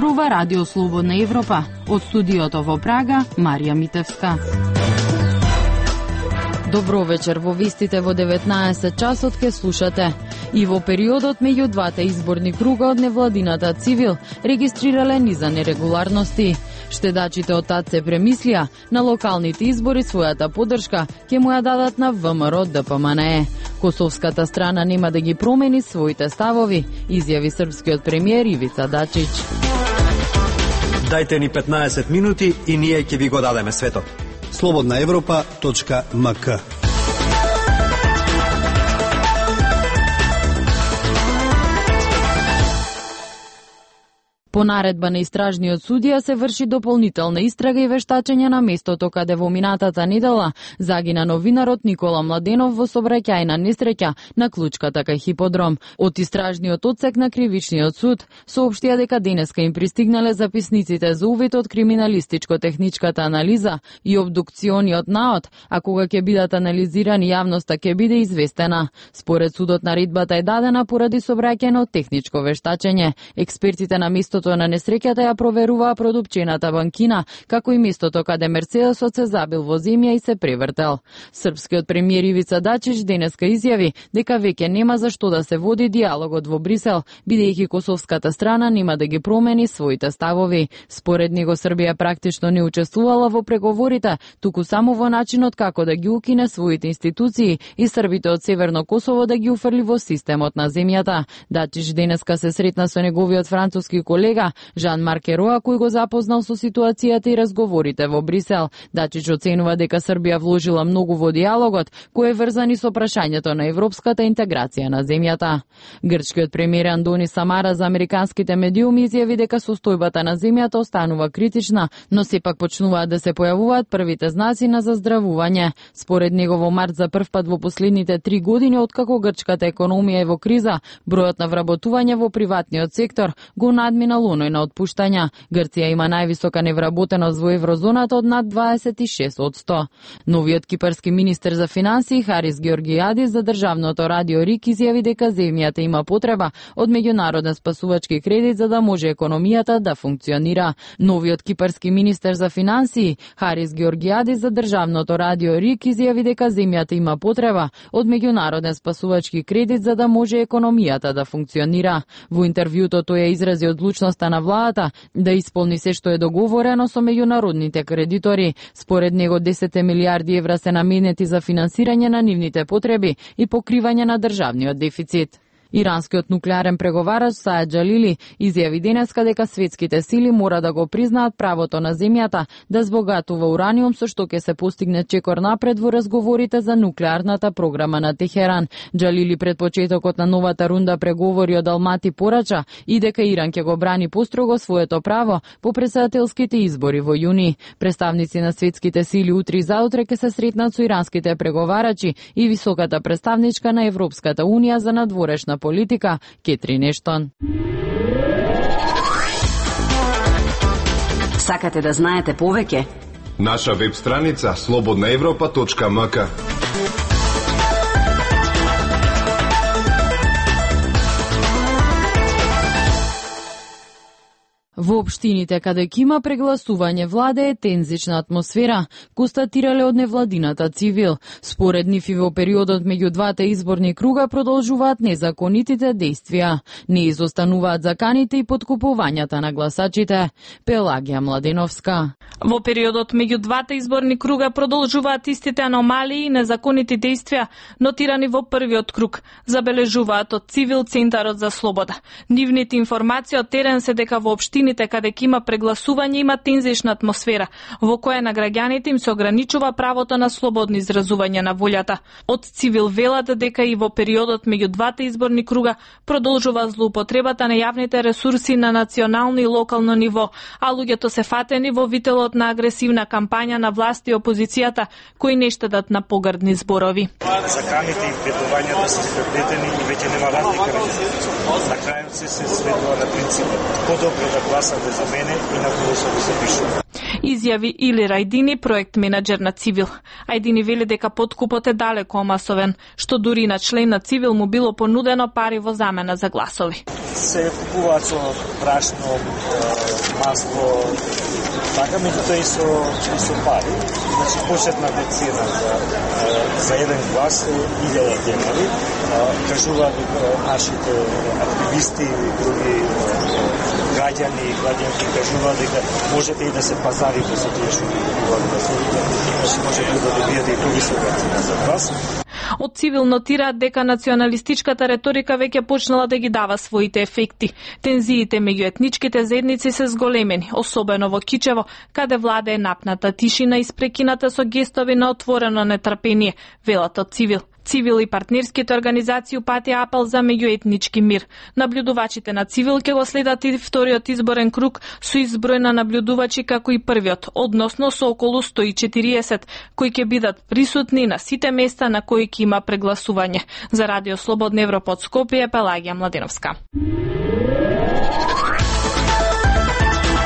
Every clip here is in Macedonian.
зборува Радио Слободна Европа. Од студиото во Прага, Марија Митевска. Добро вечер, во вестите во 19 часот ке слушате. И во периодот меѓу двата изборни круга од невладината Цивил регистрирале низа нерегуларности. Штедачите од ТАЦ се премислија на локалните избори својата поддршка ќе му ја дадат на ВМРО ДПМНЕ. Косовската страна нема да ги промени своите ставови, изјави српскиот премиер Ивица Дачич. Дајте ни 15 минути и ние ќе ви го дадеме светот. slobodnaevropa.mk. По наредба на истражниот судија се врши дополнителна истрага и вештачење на местото каде во минатата недела загина новинарот Никола Младенов во сообраќајна несреќа на Клучката кај хиподром. Од истражниот одсек на кривичниот суд соопштија дека денеска им пристигнале записниците за увид од криминалистичко-техничката анализа и обдукциониот наод, а кога ќе бидат анализирани јавноста ќе биде известена. Според судот наредбата е дадена поради сообраќајно техничко вештачење. Експертите на местото на несреќата ја проверуваа продупчената банкина, како и местото каде Мерцедесот се забил во земја и се превртел. Српскиот премиер Ивица Дачич денеска изјави дека веќе нема за што да се води диалогот во Брисел, бидејќи косовската страна нема да ги промени своите ставови. Според него Србија практично не учествувала во преговорите, туку само во начинот како да ги укине своите институции и србите од Северно Косово да ги уфрли во системот на земјата. Дачич денеска се сретна со неговиот француски колега Жан-Марк Ероа, кој го запознал со ситуацијата и разговорите во Брисел. Дачич оценува дека Србија вложила многу во диалогот, кој е врзан и со прашањето на европската интеграција на земјата. Грчкиот премиер Андони Самара за американските медиуми изјави дека состојбата на земјата останува критична, но сепак почнуваат да се појавуваат првите знаци на заздравување. Според него во март за прв пат во последните 3 години откако грчката економија е во криза, бројот на вработување во приватниот сектор го надминал оној на отпуштања. Грција има највисока невработеност во еврозоната од над 26%. Новиот кипарски министер за финансии Харис Георгијадис за државното радио РИК изјави дека земјата има потреба од меѓународен спасувачки кредит за да може економијата да функционира. Новиот кипарски министер за финансии Харис Георгијадис за државното радио РИК изјави дека земјата има потреба од меѓународен спасувачки кредит за да може економијата да функционира. Во интервјуто тој ја изрази одлучноста на владата да исполни се што е договорено со меѓународните кредитори. Според него 10 милиарди евра се наменети за финансирање на нивните потреби и покривање на државниот дефицит. Иранскиот нуклеарен преговарач Саед Джалили изјави денеска дека светските сили мора да го признаат правото на земјата да збогатува ураниум, со што ќе се постигне чекор напред во разговорите за нуклеарната програма на Техеран. Джалили пред почетокот на новата рунда преговори од Алмати порача и дека Иран ќе го брани построго своето право по претседателските избори во јуни. Представници на светските сили утре и заутре ќе се сретнат со иранските преговарачи и високата представничка на Европската унија за надворешна политика Кетрин Ештон. Сакате да знаете повеќе? Наша веб страница slobodnaevropa.mk. Во општините каде ќе има прегласување влада е тензична атмосфера, констатирале од невладината Цивил. Според нив и во периодот меѓу двата изборни круга продолжуваат незаконитите действија. Не изостануваат заканите и подкупувањата на гласачите. Пелагија Младеновска. Во периодот меѓу двата изборни круга продолжуваат истите аномалии и незаконити действија, нотирани во првиот круг, забележуваат од Цивил Центарот за слобода. Нивните информации од терен се дека во општините каде ќе има прегласување има тензична атмосфера, во која на граѓаните им се ограничува правото на слободно изразување на волјата. Од Цивил велат дека и во периодот меѓу двата изборни круга продолжува злоупотребата на јавните ресурси на национално и локално ниво, а луѓето се фатени во вителот на агресивна кампања на власт и опозицијата, кои не штедат на погрдни зборови. Заканите и ветувањата се спреплетени и веќе нема разлика. На крајот се сведува на принципот подобро да гласате за мене и на кого се запишува. Изјави Или Рајдини, проект менаџер на Цивил. Ајдини вели дека подкупот е далеко масовен, што дури на член на Цивил му било понудено пари во замена за гласови. Се купуваат со брашно, масло, така меѓутоа и со пари. Значи, почетната цена за еден глас е 1000 денари. Кажуваат нашите активисти и други граѓани и граѓанки кажуваат дека можете и да се пазарите со тие што купуваат гласовите, значи можете да добиете и повисока цена за глас. Од Цивил нотираат дека националистичката реторика веќе почнала да ги дава своите ефекти. Тензиите меѓу етничките заедници се зголемени, особено во Кичево, каде владее напната тишина испрекината со гестови на отворено нетрпение, велат од Цивил. Цивил и партнерските организации упатија апел за меѓуетнички мир. Наблюдувачите на Цивил ќе го следат и вториот изборен круг со изброј на наблюдувачи како и првиот, односно со околу 140, кои ќе бидат присутни на сите места на кои ќе има прегласување. За Радио Слободна Европа од Скопје, Пелагија Младеновска.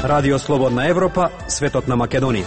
Радио Слободна Европа, светот на Македонија.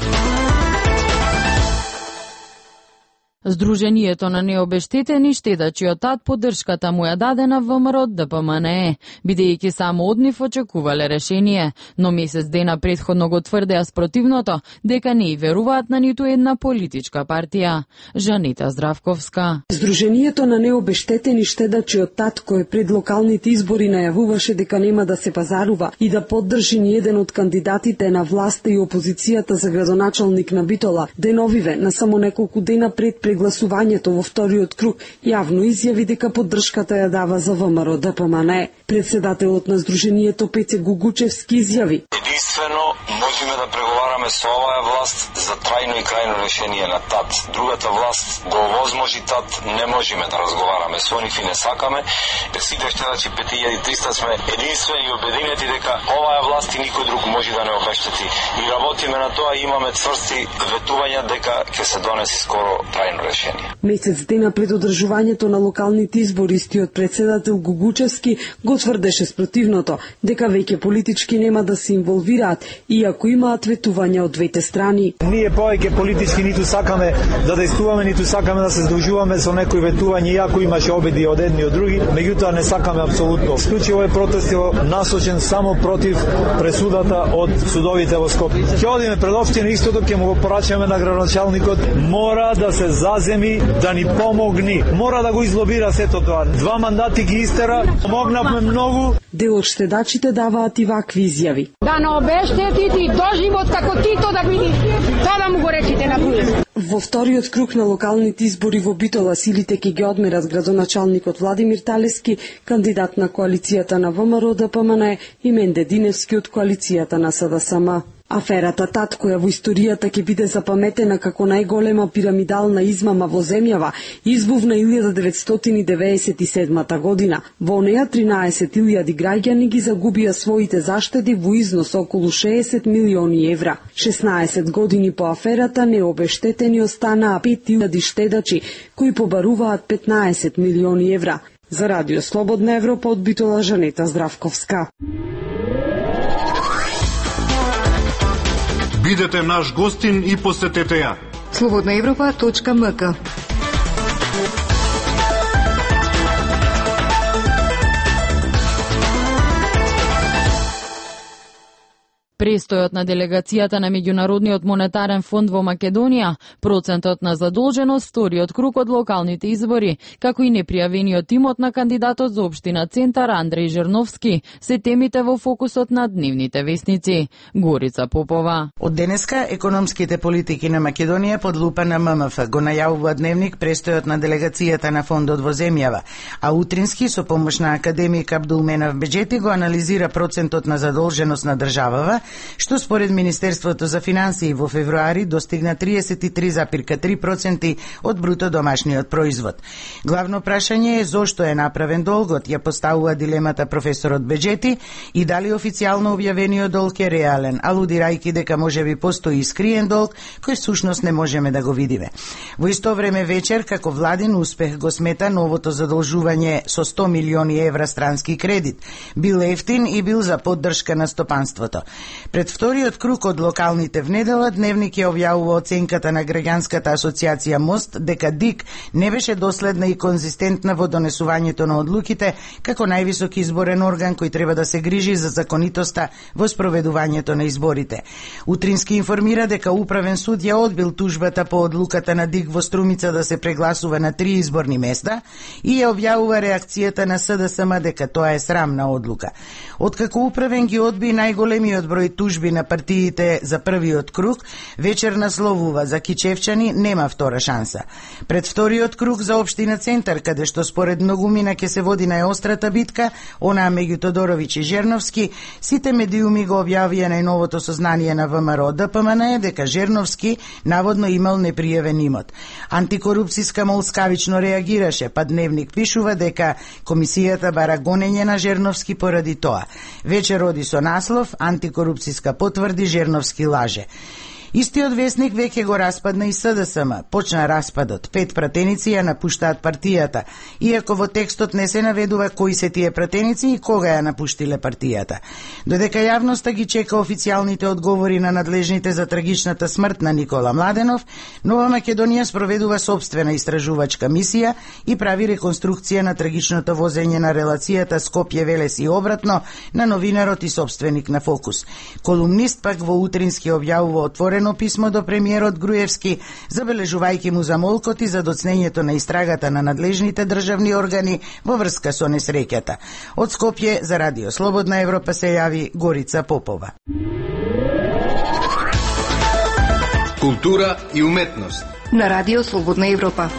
Сдруженијето на необештетени штедачи од ТАД поддршката му ја даде на ВМРО ДПМНЕ, бидејќи само од нив очекувале решение, но месец дена претходно го тврдеа спротивното, дека не и веруваат на ниту една политичка партија. Жанита Здравковска. Сдруженијето на необештетени штедачи од ТАД, кој пред локалните избори најавуваше дека нема да се пазарува и да поддржи ни еден од кандидатите на власта и опозицијата за градоначалник на Битола, деновиве на само неколку дена пред прегласувањето во вториот круг, јавно изјави дека поддршката ја дава за ВМРО ДПМНЕ. Председателот на Сдруженијето Пеце Гугучевски изјави: единствено можеме да преговараме со оваа власт за трајно и крајно решение на ТАД. Другата власт го овозможи ТАД, не можеме да разговараме со нив и не сакаме. Сите штедачи 5300 сме единствени и обединети дека оваа власт и никој друг може да не обештети. И работиме на тоа и имаме цврсти ветувања дека ќе се донеси скоро трајно решение. Месец дена пред одржувањето на локалните избори, истиот председател Гугучевски го тврдеше спротивното, дека веќе политички нема да се инволвираат, иако имаат ветувања од двете страни. Ние повеќе политички ниту сакаме да действуваме, ниту сакаме да се здружуваме со некои ветувања, иако имаше обиди од едни и од други, меѓутоа не сакаме апсолутно. Исклучиво е протестот насочен само против пресудата од судовите во Скопје. Ќе одиме пред општина истото, ќе му го порачаме на градоначалникот, мора да се заземи да ни помогни. Мора да го излобира сето тоа. 2 мандати ги истера, помогнавме многу. Дел од штедачите даваат и вакви изјави. Да не обештетите доживот како Тито да биде. Тоа да му го речите на другите. Во вториот круг на локалните избори во Битола силите ќе ги одмерат градоначалникот Владимир Талески, кандидат на коалицијата на ВМРО ДПМНЕ, и Менде Диневски од коалицијата на СДСМ. Аферата ТАД, која во историјата ќе биде запаметена како најголема пирамидална измама во земјава, избувна 1997 година. Во неја 13.000 граѓани ги загубија своите заштеди во износ околу 60 милиони евра. 16 години по аферата необештетени останаа 5.000 штедачи, кои побаруваат 15 милиони евра. За Радио Слободна Европа од Битола, Жанета Здравковска. Бидете наш гостин и посетете ја. slobodnaevropa.mk. Престојот на делегацијата на Меѓународниот монетарен фонд во Македонија, процентот на задолженост, вториот круг од локалните избори, како и непријавениот имот на кандидатот за општина Центар Андреј Жерновски, се темите во фокусот на дневните весници. Горица Попова. Од денеска економските политики на Македонија под лупа на ММФ го најавува дневник престојот на делегацијата на фондот во земјава, а утрински со помош на академик Абдулменав Беџети го анализира процентот на задолженост на државава, што според Министерството за финансии во февруари достигна 33,3% од бруто домашниот производ. Главно прашање е зошто е направен долгот, ја поставува дилемата професорот Беџети, и дали официјално објавениот долг е реален, алудирајќи дека можеби постои искриен долг кој всушност не можеме да го видиме. Во исто време вечер, како владин успех го смета новото задолжување со 100 милиони евра странски кредит. Бил ефтин и бил за поддршка на стопанството. Пред вториот круг од локалните в недела, Дневник ја објавува оценката на граѓанската асоциација МОСТ дека ДИК не беше доследна и конзистентна во донесувањето на одлуките како највисок изборен орган кој треба да се грижи за законитоста во спроведувањето на изборите. Утрински информира дека Управен суд ја одбил тужбата по одлуката на ДИК во Струмица да се прегласува на 3 изборни места и ја објавува реакцијата на СДСМ дека тоа е срамна одлука. Откако Управен ги одби најголемиот број тужби на партиите за првиот круг, вечер насловува за Кичевчани нема втора шанса. Пред вториот круг за општина Центар, каде што според многумина ќе се води најострата битка, онаа меѓу Тодоровиќ и Жерновски, сите медиуми го објавија најновото сознание на ВМРО ДПМН дека Жерновски наводно имал непријавен имот. Антикорупцијска молскавично реагираше, па Дневник пишува дека комисијата бара гонење на Жерновски поради тоа. Вечер оди со наслов Антикорупцијска потврди Жерновски лаже. Истиот весник веќе го распадна и СДСМ. Почна распадот. 5 пратеници ја напуштаат партијата, иако во текстот не се наведува кои се тие пратеници и кога ја напуштиле партијата. Додека јавноста ги чека официјалните одговори на надлежните за трагичната смрт на Никола Младенов, Нова Македонија спроведува собствена истражувачка мисија и прави реконструкција на трагичното возење на релацијата Скопје-Велес и обратно на новинарот и собственик на Фокус. Колумнист пак во Утрински објавува отворено писмо до премиерот Груевски, забележувајќи му замолкот и за доцнењето на истрагата на надлежните државни органи во врска со несреќата. Од Скопје за Радио Слободна Европа се јави Горица Попова. Култура и уметност на Радио Слободна Европа.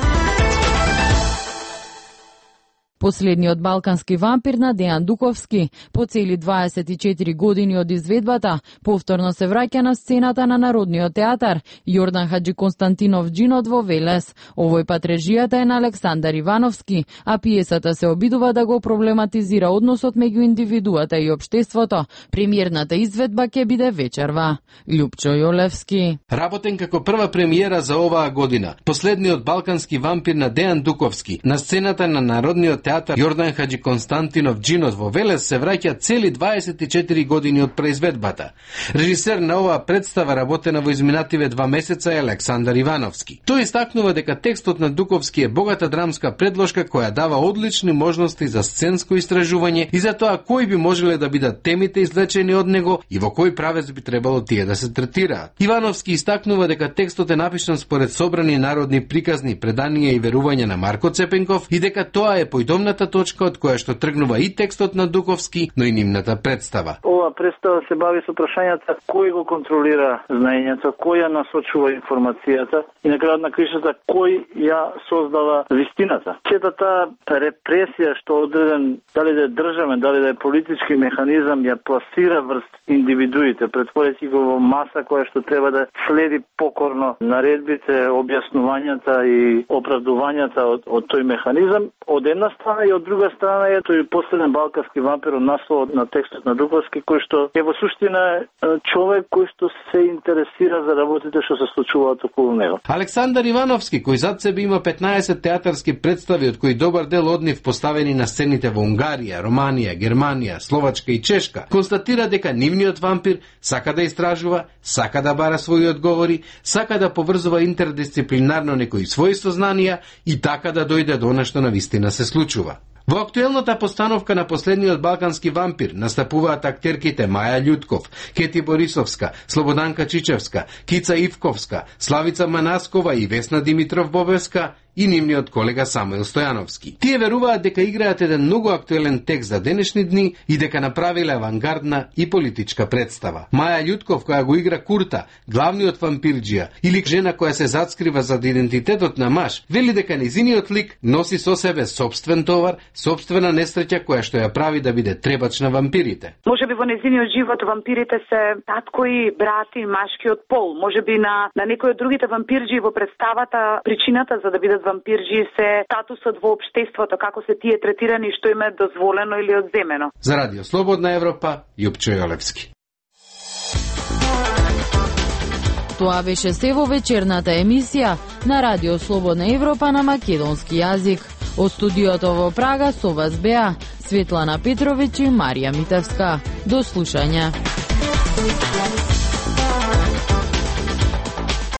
Последниот балкански вампир на Дејан Дуковски, по цели 24 години од изведбата, повторно се враќа на сцената на Народниот театар Јордан Хаджи Константинов Джинот во Велес. Овој пат режијата е на Александар Ивановски, а пиесата се обидува да го проблематизира односот меѓу индивидуата и општеството. Премиерната изведба ќе биде вечерва. Љупчо Јолевски. Работен како прва премиера за оваа година, последниот балкански вампир на Дејан Дуковски на сцената на Народниот театар Јордан Хаджи Константинов Джинот во Велес се враќа цели 24 години од произведбата. Режисер на оваа представа работена во изминативе 2 месеца е Александар Ивановски. Тој истакнува дека текстот на Дуковски е богата драмска предложка која дава одлични можности за сценско истражување и за тоа кои би можеле да бидат темите извлечени од него и во кој правец би требало тие да се третираат. Ивановски истакнува дека текстот е напишан според собрани народни приказни, преданија и верувања на Марко Цепенков и дека тоа е појдомната точка од која што тргнува и текстот на Дуковски, но и нивната представа. Ова представа се бави со прашањата кој го контролира знаењето, кој ја насочува информацијата и на крајот на кришата кој ја создава вистината. Сета таа репресија што одреден, дали да е државен, дали да е политички механизам, ја пласира врз индивидуите, претворејќи го во маса која што треба да следи покорно наредбите, објаснувањата и оправдувањата од тој механизам, од една страна и од друга страна е тој последен балкански вампир од насловот на текстот на Дуковски, кој што е во суштина човек кој што се интересира за работите што се случуваат околу него. Александар Ивановски, кој зад себе има 15 театарски представи, од кои добар дел од нив поставени на сцените во Унгарија, Романија, Германија, Словачка и Чешка, констатира дека нивниот вампир сака да истражува, сака да бара своји одговори, сака да поврзува интердисциплинарно некои своји сознанија и така да дојде до она што навистина се случува. Во актуелната постановка на последниот балкански вампир настапуваат актерките Маја Љутков, Кети Борисовска, Слободанка Чичевска, Кица Ивковска, Славица Манаскова и Весна Димитров Бобевска и нивниот колега Самуил Стојановски. Тие веруваат дека играат еден многу актуелен текст за денешни дни и дека направиле авангардна и политичка представа. Маја Љутков, која го игра Курта, главниот вампирџија, или жена која се зацкрива за идентитетот на маж, вели дека нејзиниот лик носи со себе собствен товар, собствена несреќа која што ја прави да биде требач на вампирите. Можеби во нејзиниот живот вампирите се татко и брати машкиот пол. Можеби на некои од другите вампирџи во представата причината за да бидат вампирџи се статусот во општеството, како се тие третирани, што им е дозволено или одземено. За Радио Слободна Европа, Љупчо Јолевски. Тоа беше се во вечерната емисија на Радио Слободна Европа на македонски јазик. Од студиото во Прага со вас беа Светлана Петровиќ и Марија Митевска. До слушање.